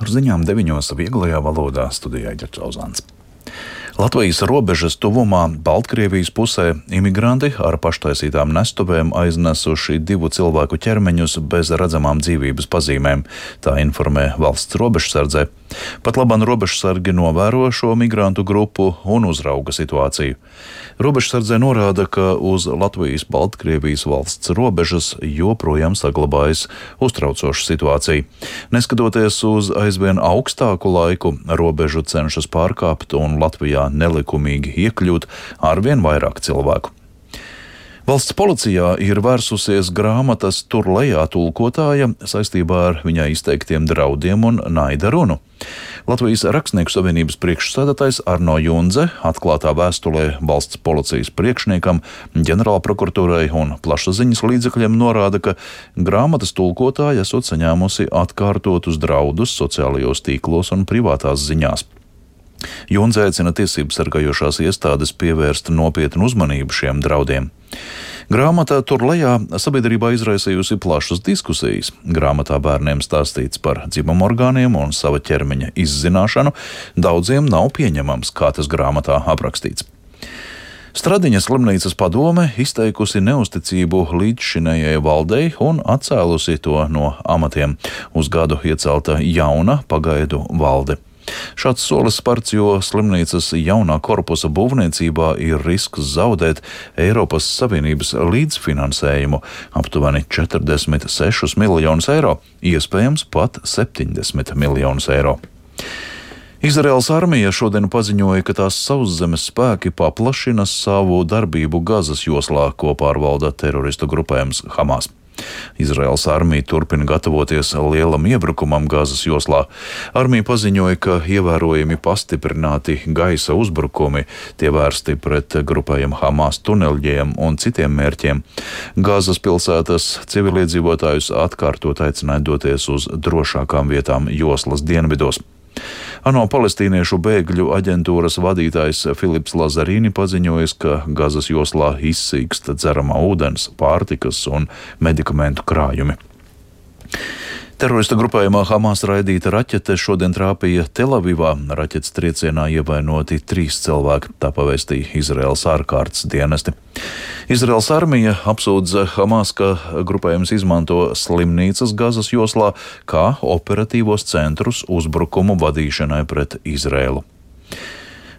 Ar ziņām 9 vieglajā valodā studijā Ģercauzāns. Latvijas robežas tuvumā Baltkrievijas pusē imigranti ar paštaisītām nestuvēm aiznesuši 2 cilvēku ķermeņus bez redzamām dzīvības pazīmēm, tā informē valsts robežsardzē. Pat labāk robežsargi novēro šo migrantu grupu un uzrauga situāciju. Robežsardzē norāda, ka uz Latvijas-Baltkrievijas valsts robežas joprojām saglabājas uztraucoša situācija. Neskatoties uz aizvien augstāku laiku, robežu cenšas pārkāpt un Latvijā nelikumīgi iekļūt arvien vairāk cilvēku. Valsts policijā ir vērsusies grāmatas Tur lejā tulkotāja saistībā ar viņai izteiktiem draudiem un naida runu. Latvijas Rakstnieku savienības priekšsēdētājs Arno Jundze atklātā vēstulē valsts policijas priekšniekam, ģenerālprokuratūrai un plašsaziņas līdzekļiem norāda, ka grāmatas tulkotāja esot saņēmusi atkārtotus draudus sociālajos tīklos un privātās ziņās. Jundze aicina tiesības sargājošās iestādes pievērst nopietnu uzmanību šiem draudiem. Grāmatā Tur lejā sabiedrībā izraisījusi plašas diskusijas. Grāmatā bērniem stāstīts par dzimumorgāniem un sava ķermeņa izzināšanu. Daudziem nav pieņemams, kā tas grāmatā aprakstīts. Stradiņas slimnīcas padome izteikusi neusticību līdzšinējai valdei un atcēlusi to no amatiem. Uz gadu iecelta jauna pagaidu valde. Šāds solis spērts, jo slimnīcas jaunā korpusa būvniecībā ir risks zaudēt Eiropas Savienības līdzfinansējumu aptuveni 46 miljonus eiro, iespējams pat 70 miljonus eiro. Izraēlas armija šodien paziņoja, ka tās sauszemes spēki paplašina savu darbību Gazas joslā, ko pārvalda teroristu grupējums Hamas. Izraēlas armija turpina gatavoties lielam iebrukumam Gazas joslā. Armija paziņoja, ka ievērojami pastiprināti gaisa uzbrukumi, tie vērsti pret grupējumu Hamas tuneļiem un citiem mērķiem. Gazas pilsētas civiliedzīvotājus atkārtot aicināja doties uz drošākām vietām joslas dienvidos. ANO palestīniešu bēgļu aģentūras vadītājs Filips Lazarīni paziņojis, ka Gazas joslā izsīkst dzeramā ūdens, pārtikas un medikamentu krājumi. Terorista grupējumā Hamas raidīta raķete šodien trāpīja Telavivā. Raķetes triecienā ievainoti 3 cilvēki, tā pavēstīja Izraēlas ārkārtas dienesti. Izraēlas armija apsūdza Hamas, ka grupējums izmanto slimnīcas Gazas joslā kā operatīvos centrus uzbrukumu vadīšanai pret Izraēlu.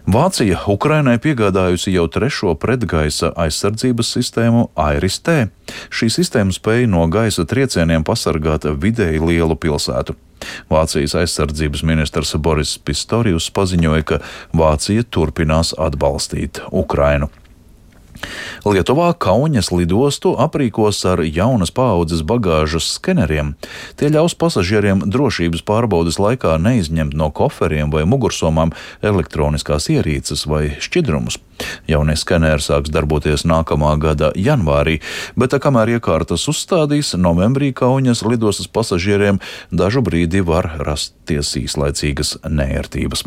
Vācija Ukrainai piegādājusi jau 3. pretgaisa aizsardzības sistēmu AIRIS-T. Šī sistēma spēja no gaisa triecieniem pasargāt vidēji lielu pilsētu. Vācijas aizsardzības ministrs Boris Pistorius paziņoja, ka Vācija turpinās atbalstīt Ukrainu. Lietuvā Kauņas lidostu aprīkos ar jaunas paaudzes bagāžas skeneriem. Tie ļaus pasažieriem drošības pārbaudes laikā neizņemt no koferiem vai mugursomām elektroniskās ierīces vai šķidrumus. Jaunie skeneri sāks darboties nākamā gada janvārī, bet kamēr iekārtas uzstādīs, novembrī Kauņas lidostas pasažieriem dažu brīdi var rasties īslaicīgas neērtības.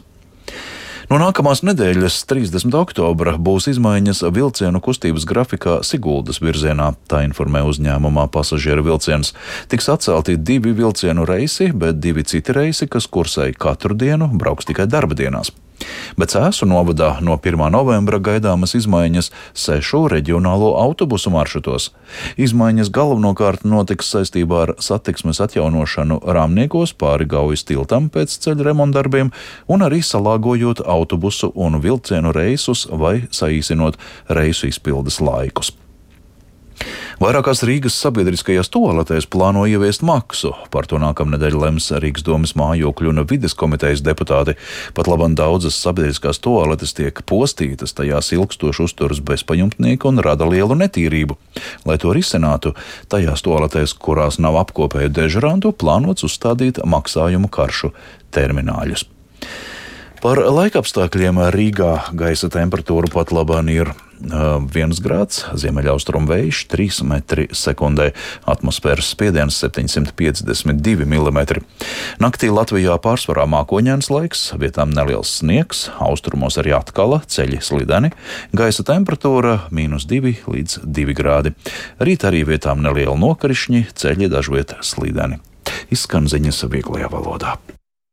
No nākamās nedēļas, 30. oktobra, būs izmaiņas vilcienu kustības grafikā Siguldas virzienā, tā informē uzņēmumā Pasažieru vilciens. Tiks atcelti 2 vilcienu reisi, bet 2 citi reisi, kas kursēja katru dienu, brauks tikai darba dienās. Bet Cēsu novadā no 1. novembra gaidāmas izmaiņas 6 reģionālo autobusu maršrutos. Izmaiņas galvenokārt notiks saistībā ar satiksmes atjaunošanu Rāmniekos pāri Gaujas tiltam pēc ceļa remontdarbiem un arī salāgojot autobusu un vilcienu reisus vai saīsinot reisu izpildes laikus. Vairākās Rīgas sabiedriskajās tualetēs plāno ieviest maksu. Par to nākamnedēļ lems Rīgas domes mājokļu un vides komitejas deputāti. Pat labam daudzas sabiedriskās tualetes tiek postītas, tajās ilgstoši uzturas bezpajumtnieki un rada lielu netīrību. Lai to risinātu, tajās tualetēs, kurās nav apkopēju dežurantu, plānots uzstādīt maksājumu karšu termināļus. Par laikapstākļiem Rīgā gaisa temperatūra pat labāk ir 1 grāds, ziemeļaustrumu vējš 3 metri sekundē, atmosfēras spiediens 752 mm. Naktī Latvijā pārsvarā mākoņains laiks, vietām neliels sniegs, austrumos arī atkala, ceļi slideni, gaisa temperatūra -2 līdz 2 grādi. Rīt arī vietām nelieli nokrišņi, ceļi dažviet slideni. Izskan ziņas vieglajā valodā.